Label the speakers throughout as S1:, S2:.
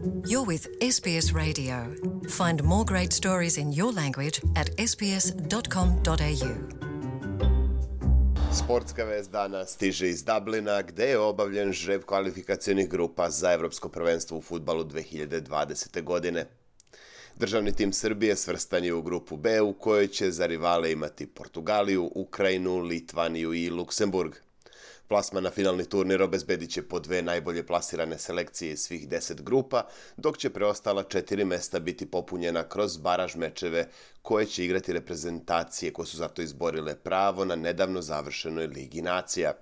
S1: You're with SBS Radio. Find more great stories in your language at sbs.com.au.
S2: Sportska vest dana stiže iz Dublina, gde je obavljen žreb kvalifikacionih grupa za Evropsko prvenstvo u fudbalu 2020. godine. Državni tim Srbije svrstan je u grupu B, u kojoj će za rivale imati Portugaliju, Ukrajinu, Litvaniju i Luksemburg. Plasman na finalni turnir obezbedit će po dve najbolje plasirane selekcije iz svih 10 grupa, dok će preostala 4 mesta biti popunjena kroz baraž mečeve koje će igrati reprezentacije koje su zato izborile pravo na nedavno završenoj Ligi nacija.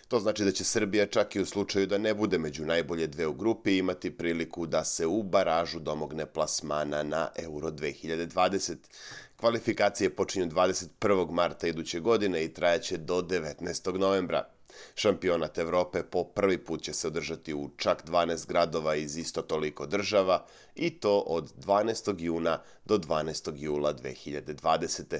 S2: To znači da će Srbija čak i u slučaju da ne bude među najbolje dve u grupi imati priliku da se u baražu domogne plasmana na Euro 2020. Kvalifikacije počinju 21. marta iduće godine i trajaće do 19. novembra. Šampionat Evrope po prvi put će se održati u čak 12 gradova iz isto toliko država i to od 12. juna do 12. jula 2020.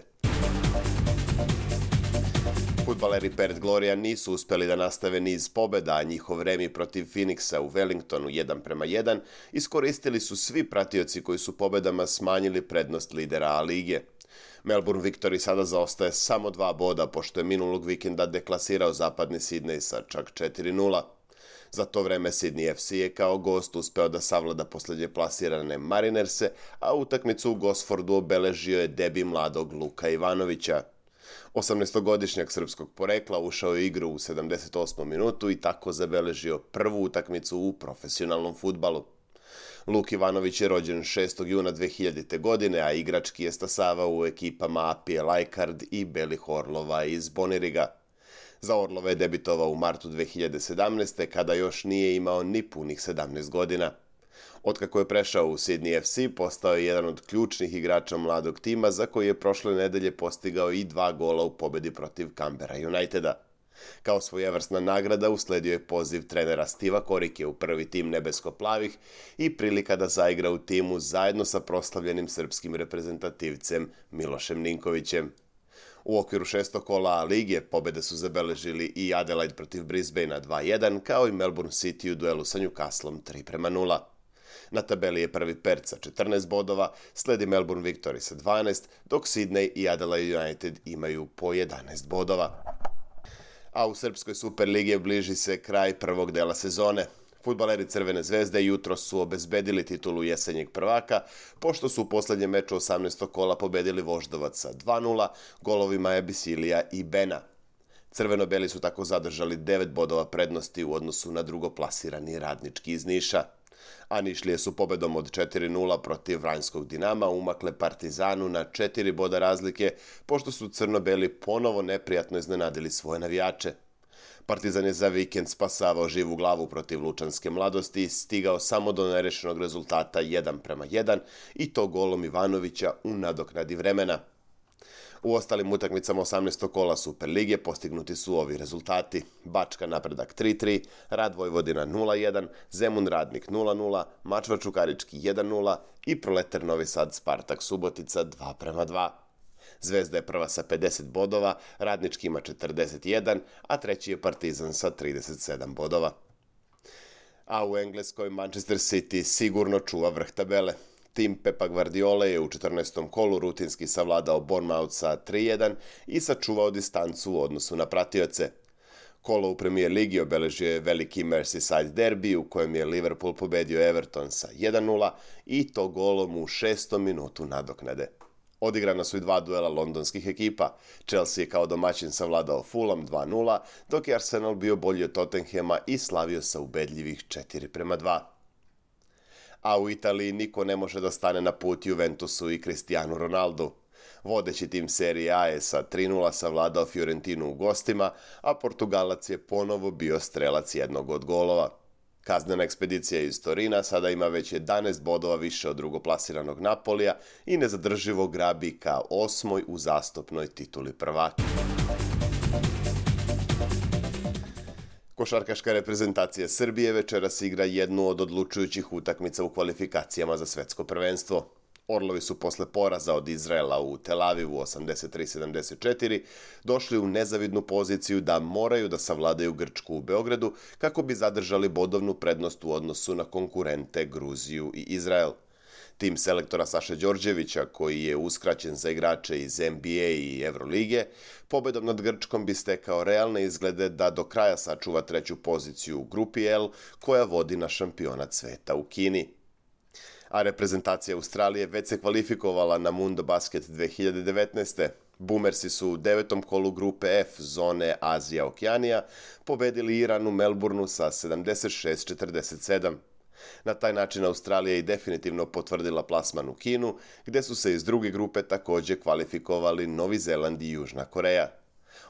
S2: Fudbaleri Perth Gloria nisu uspeli da nastave niz pobeda, a njihov remi protiv Phoenixa u Wellingtonu 1:1 iskoristili su svi pratioci koji su pobedama smanjili prednost lidera A lige. Melbourne Victory sada zaostaje samo 2 boda, pošto je minulog vikenda deklasirao zapadni Sidney sa čak 4:0. Za to vreme Sydney FC je kao gost uspeo da savlada posljednje plasirane Marinerse, a utakmicu u Gosfordu obeležio je debi mladog Luka Ivanovića. 18-godišnjak srpskog porekla ušao je u igru u 78. minutu i tako zabeležio prvu utakmicu u profesionalnom fudbalu. Luk Ivanović je rođen 6. juna 2000. godine, a igrački je stasavao u ekipama Apije Lajkard i Belih Orlova iz Boniriga. Za Orlove je debitovao u martu 2017. kada još nije imao ni punih 17 godina. Otkako je prešao u Sydney FC, postao je jedan od ključnih igrača mladog tima za koji je prošle nedelje postigao i 2 gola u pobedi protiv Canberra Uniteda. Kao svojevrsna nagrada usledio je poziv trenera Stiva Korike u prvi tim nebesko-plavih i prilika da zaigra u timu zajedno sa proslavljenim srpskim reprezentativcem Milošem Ninkovićem. U okviru 6. kola A lige pobede su zabeležili i Adelaide protiv Brisbanea 2:1, kao i Melbourne City u duelu sa Newcastlom 3:0. Na tabeli je prvi Perth sa 14 bodova, sledi Melbourne Victory sa 12, dok Sydney i Adelaide United imaju po 11 bodova. A u Srpskoj Superligi bliži se kraj prvog dela sezone. Fudbaleri Crvene zvezde jutros su obezbedili titulu jesenjeg prvaka, pošto su u posljednjem meču 18. kola pobedili Voždovac sa 2:0, golovima Ebisilija i Bena. Crveno-beli su tako zadržali 9 bodova prednosti u odnosu na drugoplasirani Radnički iz Niša. A Nišlije su pobedom od 4:0 protiv Vranjskog Dinama umakle Partizanu na 4 boda razlike, pošto su crno-beli ponovo neprijatno iznenadili svoje navijače. Partizan je za vikend spasavao živu glavu protiv Lučanske Mladosti i stigao samo do nerešenog rezultata 1:1 i to golom Ivanovića u nadoknadi vremena. U ostalim utakmicama 18. kola Superlige postignuti su ovi rezultati: Bačka Napredak 3:3, Rad Vojvodina 0:1, Zemun Radnik 0:0, Mačva Čukarički 1:0 i Proletar Novi Sad Spartak Subotica 2:2. Zvezda je prva sa 50 bodova, Radnički ima 41, a treći je Partizan sa 37 bodova. A u Engleskoj Manchester City sigurno čuva vrh tabele. Tim Pepa Guardiola je u 14. kolu rutinski savladao Bournemouth sa 3:1 i sačuvao distancu u odnosu na pratioce. Kolo u Premier Ligi obeležio je veliki Merseyside derbi u kojem je Liverpool pobedio Everton sa 1:0 i to golom u 6. minutu nadoknade. Odigrana su i 2 duela londonskih ekipa. Chelsea je kao domaćin savladao Fulham 2:0, dok je Arsenal bio bolji od Tottenhama i slavio sa ubedljivih 4:2. A u Italiji niko ne može da stane na put Juventusu i Cristiano Ronaldu. Vodeći tim Serie A je sa 3:0 savladao Fiorentinu u gostima, a Portugalac je ponovo bio strelac jednog od golova. Kaznena ekspedicija iz Torina sada ima već 11 bodova više od drugoplasiranog Napolija i nezadrživo grabi ka 8. uzastopnoj tituli prvaka. Košarkaška reprezentacija Srbije večeras igra jednu od odlučujućih utakmica u kvalifikacijama za svetsko prvenstvo. Orlovi su posle poraza od Izraela u Tel Avivu 83-74 došli u nezavidnu poziciju da moraju da savladaju Grčku u Beogradu kako bi zadržali bodovnu prednost u odnosu na konkurente Gruziju i Izrael. Tim selektora Saše Đorđevića, koji je uskraćen za igrače iz NBA i Evrolige, pobedom nad Grčkom bi stekao realne izglede da do kraja sačuva treću poziciju u grupi L, koja vodi na šampionat sveta u Kini. A reprezentacija Australije već se kvalifikovala na Mundo Basket 2019. Boomersi su u 9. kolu grupe F zone Azija-Okeanija pobedili Iran u Melbourneu sa 76-47. Na taj način Australija je definitivno potvrdila plasman u Kinu, gde su se iz druge grupe također kvalifikovali Novi Zeland i Južna Koreja.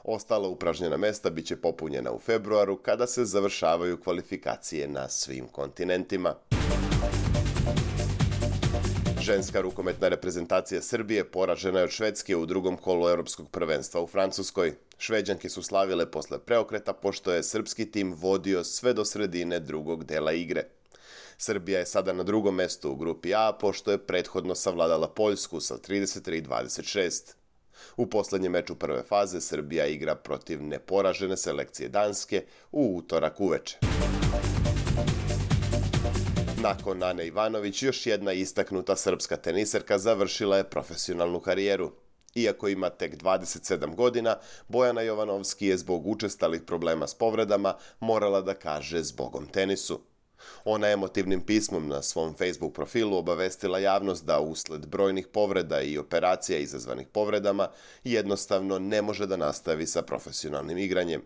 S2: Ostala upražnjena mesta biće popunjena u februaru kada se završavaju kvalifikacije na svim kontinentima. Ženska rukometna reprezentacija Srbije poražena je od Švedske u drugom kolu Evropskog prvenstva u Francuskoj. Šveđanke su slavile posle preokreta pošto je srpski tim vodio sve do sredine drugog dela igre. Srbija je sada na drugom mestu u grupi A pošto je prethodno savladala Poljsku sa 33-26. U poslednjem meču prve faze Srbija igra protiv neporažene selekcije Danske u utorak uveče. Nakon Ane Ivanović, još jedna istaknuta srpska teniserka završila je profesionalnu karijeru. Iako ima tek 27 godina, Bojana Jovanovski je zbog učestalih problema s povredama morala da kaže zbogom tenisu. Ona je emotivnim pismom na svom Facebook profilu obavestila javnost da usled brojnih povreda i operacija izazvanih povredama jednostavno ne može da nastavi sa profesionalnim igranjem.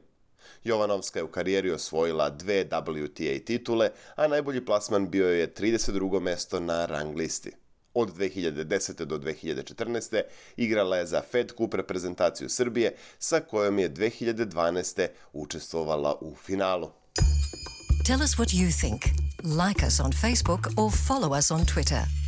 S2: Jovanovska je u karijeri osvojila 2 WTA titule, a najbolji plasman bio je 32. mesto na rang listi. Od 2010. do 2014. igrala je za Fed Cup reprezentaciju Srbije, sa kojom je 2012. učestvovala u finalu.
S1: Tell us what you think. Like us on Facebook or follow us on Twitter.